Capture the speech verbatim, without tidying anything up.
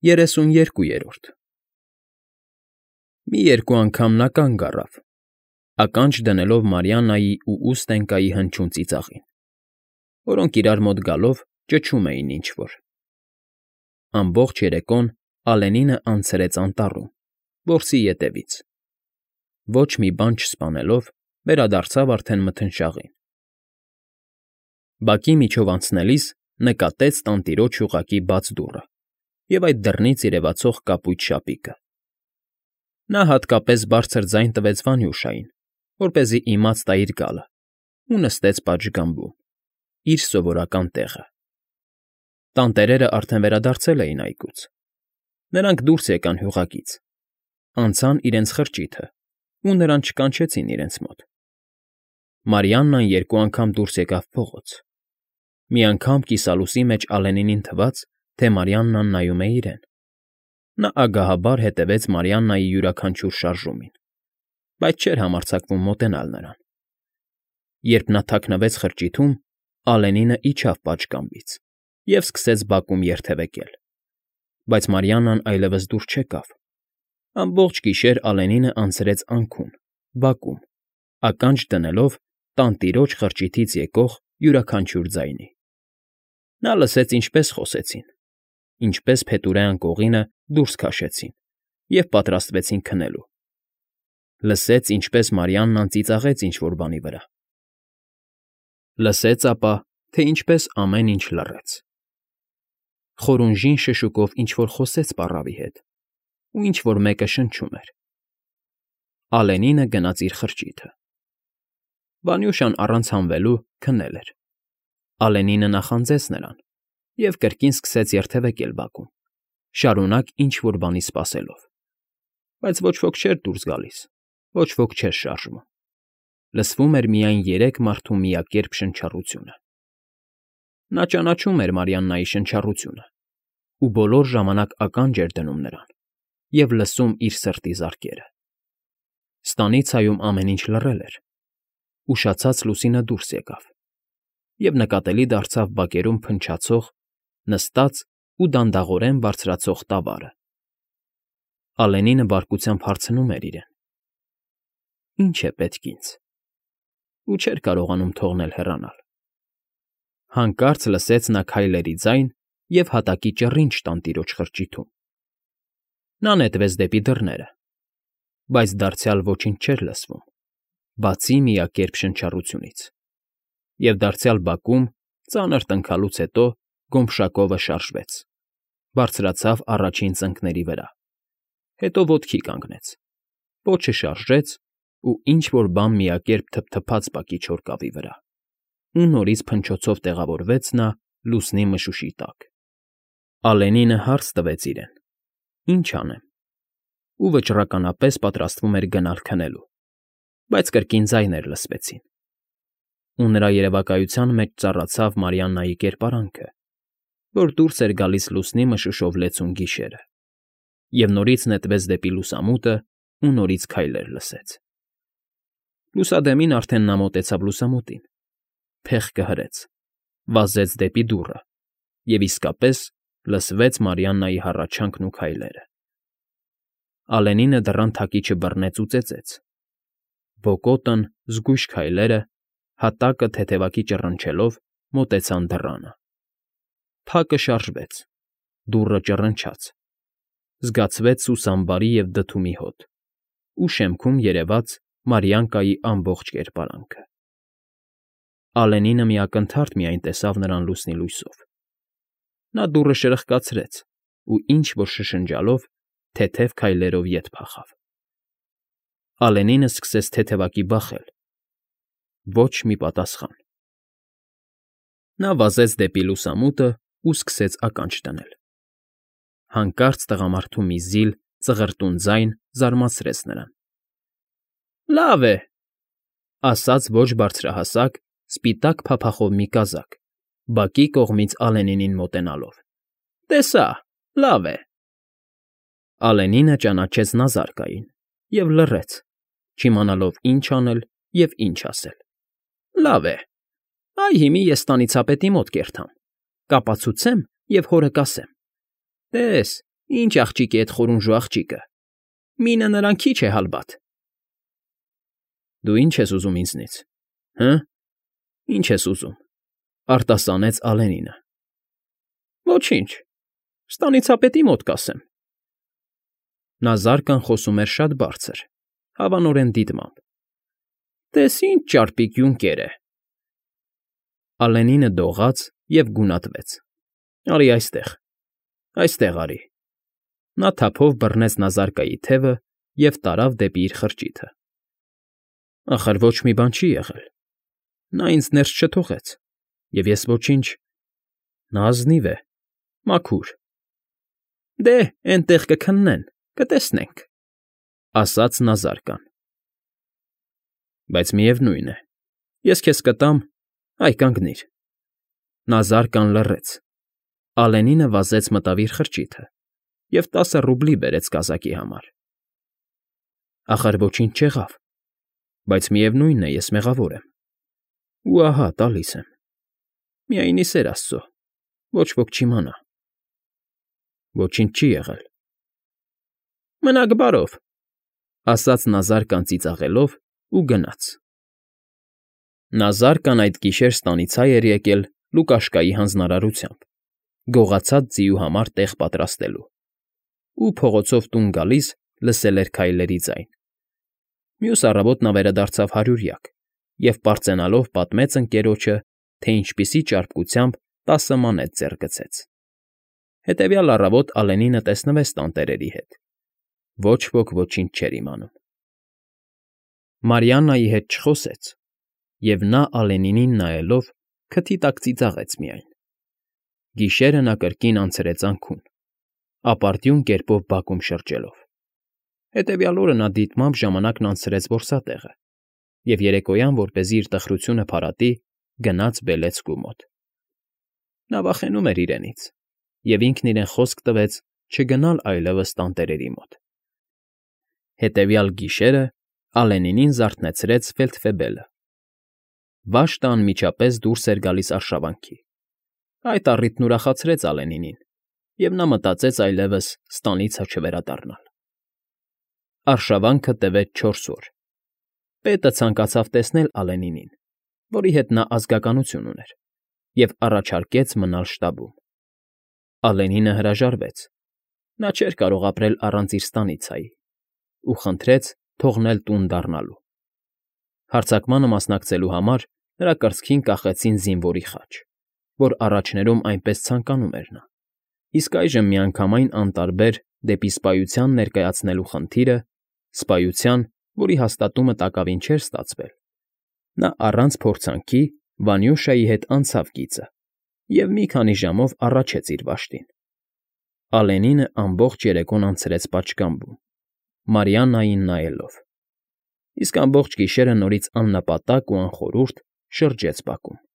Երեսունյերկուերորդ Մի երկու անգամ նա կանգ առավ, ականջ դնելով Մարիաննայի ու Ուստենկայի հնչյուն ծիծաղին, որոնք իրար մոտ գալով ճչում էին ինչ֊որ։ Ամբողջ երեկոն Ալենինը անցրեց անտառում, որսի ետևից, ոչ մի բան չսպանելով, վերադարձավ արդեն մթնշաղին։ Բակի միջով անցնելիս նկատեց տանտիրոջ հյուղակի բաց դուռը և այդ դռնից երևացող կապույտ շապիկը։ Նա հատկապես բարձր ձայն տվեց Վանյուշային, որպեսզի իմաց տա իր գալը, ու նստեց պատշգամբում, իր սովորական տեղը։ Տանտերերը արդեն վերադարձել էին այգուց։ Նրանք դուրս եկան հյուղակից, անցան իրենց խրճիթը ու նրան չկանչեցին իրենց մոտ։ Մարիաննան երկու անգամ դուրս եկավ փողոց։ Մի անգամ կիսալուսի մեջ Ալենինին թվաց, թե Մարիաննան նայում է իրեն։ Նա ագահաբար հետևեց Մարիաննայի յուրաքանչյուր շարժումին, բայց չէր համարձակվում մոտենալ նրան։ Երբ նա թաքնվեց խրճիթում, Ալենինը իջավ պատշգամբից և սկսեց բակում երթևեկել, բայց Մարիաննան այլևս դուրս չեկավ։ Ամբողջ գիշեր Ալենինը անցրեց անքուն, բակում, ականջ դնելով տանտիրոջ խրճիթից եկող յուրաքանչյուր ձայնի։ Նա լսեց ինչպես խոսեցին, ինչպես փետուրե անկողինը դուրս քաշեցին և պատրաստվեցին քնելու։ Լսեց, ինչպես Մարիաննան ծիծաղեց ինչ֊որ բանի վրա։ Լսեց ապա, թե ինչպես ամեն ինչ լռեց։ Խորունժին շշուկով ինչ֊որ խոսեց պառավի հետ, ու ինչ֊որ մեկը շնչում էր։ Ալենինը գնաց իր խրճիթը։ Վանյուշան առանց հանվելու քնել էր։ Ալենինը նախանձեց նրան և կրկին սկսեց երթևեկել բակում, շարունակ ինչ֊որ բանի սպասելով։ Բայց ոչ ոք չէր դուրս գալիս, ոչ ոք չէր շարժվում։ Լսվում էր միայն երեք մարդու միակերպ շնչառությունը։ Նա ճանաչում էր Մարիաննայի շնչառությունը ու բոլոր ժամանակ ականջ էր դնում նրան և լսում իր սրտի զարկերը։ Ստանիցայում ամեն ինչ լռել էր։ Ուշացած լուսինը դուրս եկավ, և նկատելի դարձավ բակերում փնչացող, նստած ու դանդաղորեն բարձրացող տավարը։ Ալենինը բարկությամբ հարցնում էր իրեն. «Ի՞նչ է պետք ինձ» ու չէր կարողանում թողնել հեռանալ։ Հանկարծ լսեց նա քայլերի ձայն և հատակի ճռինչ տանտիրոջ խրճիթում։ Նա նետվեց դեպի դռները, բայց դարձյալ ոչինչ չէր լսվում, բացի միակերպ շնչառությունից, և դարձյալ բակում, ծանր տնքալուց հետո, գոմշակովը շարժվեց, բարձրացավ առաջին ծնկների վրա, հետո ոտքի կանգնեց, պոչը շարժեց ու ինչ֊որ բան միակերպ թփթփաց բակի չորքավի վրա, ու նորից փնչոցով տեղավորվեց նա լուսնի մշուշի տակ։ Ալենինը հարց տվեց իրեն. «Ինչ անեմ» ու վճռականապես պատրաստվում էր գնալ քնելու, բայց կրկին ձայներ լսվեցին։ Ու նրա երևակայության մեջ ծառացավ Մարիաննայի կերպարանքը, որ դուրս էր գալիս լուսնի մշուշով լեցուն գիշերը, և նորից նետվեց դեպի լուսամուտը ու նորից քայլեր լսեց։ Լուսադեմին արդեն նա մոտեցավ լուսամուտին, փեղկը հրեց, վազեց դեպի դուռը, և իսկապես լսվեց Մարիաննայի հառաչանքն ու քայլերը։ Ալենինը դռան թակիչը բռնեց ու ծեծեց։ Բոկոտն, զգույշ քայլերը, հատակը թեթևակի ճռնչելով մոտեցան դռանը։ Փակը շարժվեց, դուռը ճռնչաց, զգացվեց սուսամբարի և դդումի հոտ, ու շեմքում երևաց Մարիանկայի ամբողջ կերպարանքը։ Ալենինը մի ակնթարթ միայն տեսավ նրան լուսնի լույսով։ Նա դուռը շրխկացրեց ու ինչ֊որ շշնջալով թեթև քայլերով ետ փախավ։ Ալենինը սկսեց թեթևակի բախել։ Ոչ մի պատասխան։ Նա վազեց դեպի լուսամուտը ու սկսեց ականջ դնել։ Հանկարծ տղամարդու մի զիլ, ծղրտուն ձայն զարմացրեց նրան։ ֊ Լավ է,֊ ասաց ոչ բարձրահասակ, սպիտակ փափախով մի կազակ, բակի կողմից Ալենինին մոտենալով։֊ Տեսա, լավ է։ Ալենինը ճանաչեց նազարկային և լռեց, չիմանալով ինչ անել և ինչ ասել։ ֊ Լավ է, այ հիմի ես ստանիցապետի մոտ կերթամ, կապացուցեմ և հորը կասեմ. «Տես, Ինչ աղջիկ է էդ խորունժու աղջիկը, մինը նրան քիչ է հալբատ։ Դու ի՞նչ ես ուզում ինձնից, հը՞, ի՞նչ ես ուզում,֊ արտասանեց Ալենինը։ Ոչինչ, ստանիցապետի մոտ կասեմ։ Նա զարկան խոսում էր շատ բարձր, հավանորեն դիտմամբ։ Տես ինչ ճարպիկ յունկեր է… Ալենինը դողաց և գունատվեց։ Արի այստեղ, այստեղ արի։ Նա թափով բռնեց Նազարկայի թևը և տարավ դեպի իր խրճիթը։ Ախր ոչ մի բան չի եղել, նա ինձ ներս չթողեց, և ես ոչինչ… Նա ազնիվ է, մաքուր… Դե, էնտեղ կքննեն, կտեսնենք,֊ ասաց Նազարկան։ Բայց միևնույն է, ես քեզ կտամ, այ կանգնիր… Նազարկան լռեց։ Ալենինը վազեց մտավ իր խրճիթը և տասը ռուբլի բերեց կազակի համար։ Ախր ոչինչ չեղավ, բայց միևնույն է, ես մեղավոր եմ, ու ահա տալիս եմ… Միայն ի սեր աստծո, ոչ ոք չիմանա… Ոչինչ չի եղել… Մնաք բարով,֊ ասաց Նազարկան ծիծաղելով ու գնաց։ Նազարկն այդ գիշեր ստանիցա էր եկել Լուկաշկայի հանձնարարությամբ, գողացած ձիու համար տեղ պատրաստելու, ու փողոցով տուն գալիս լսել էր քայլերի ձայն։ Մյուս առավոտ նա վերադարձավ հարյուրյակ և պարծենալով պատմեց ընկերոջը, թե ինչպիսի ճարպկությամբ տասը մանեթ ձեռք գցեց։ Հետևյալ առավոտ Ալենինը տեսնվեց տանտերերի հետ։ Ոչ ոք ոչինչ չէր իմանում։ Մարիաննայի հետ չխոսեց, և նա Ալենինին նայելով քթի տակ ծիծաղեց միայն։ Գիշերը նա կրկին անցրեց անցքում, ապարդյուն կերպով բակում շրջելով։ Հետևյալ օրը նա դիտմամբ ժամանակն անցրեց որսատեղը և երեկոյան, որպեսզի իր տխրությունը փարատի, գնաց Բելեցկու մոտ։ Նա վախենում էր իրենից և ինքն իրեն խոսք տվեց չգնալ այլևս տանտերերի մոտ։ Հետևյալ գիշերը Ալենինին զարթնեցրեց ֆելդֆեբելը։ Վաշտը անմիջապես դուրս էր գալիս արշավանքի։ Այդ առիթն ուրախացրեց Ալենինին, և նա մտածեց այլևս ստանիցը չվերադառնալ։ Արշավանքը տևեց չորս օր։ Պետը ցանկացավ տեսնել Ալենինին, որի հետ նա ազգականություն ուներ, և առաջարկեց մնալ շտաբում։ Ալենինը հրաժարվեց. նա չէր կարող ապրել առանց իր ստանիցայի ու խնդրեց թողնել տուն դառնալու։ Հարձակմանը մասնակցելու համար նրա կրծքին կախեցին զինվորի խաչ, որ առաջներում այնպես ցանկանում էր նա, իսկ այժմ միանգամայն անտարբեր դեպի սպայության ներկայացնելու խնդիրը, սպայության, որի հաստատումը տակավին չէր ստացվել, նա առանց փորձանքի Վանյուշայի հետ անցավ գիծը և մի քանի ժամով առաջեց իր վաշտին։ Ալենինը ամբողջ երեկոն անցրեց պատշգամբում, Մարիաննային նայելով, իսկ ամբողջ գիշերը նորից աննպատակ ու անխորհուրդ շրջեց բակում։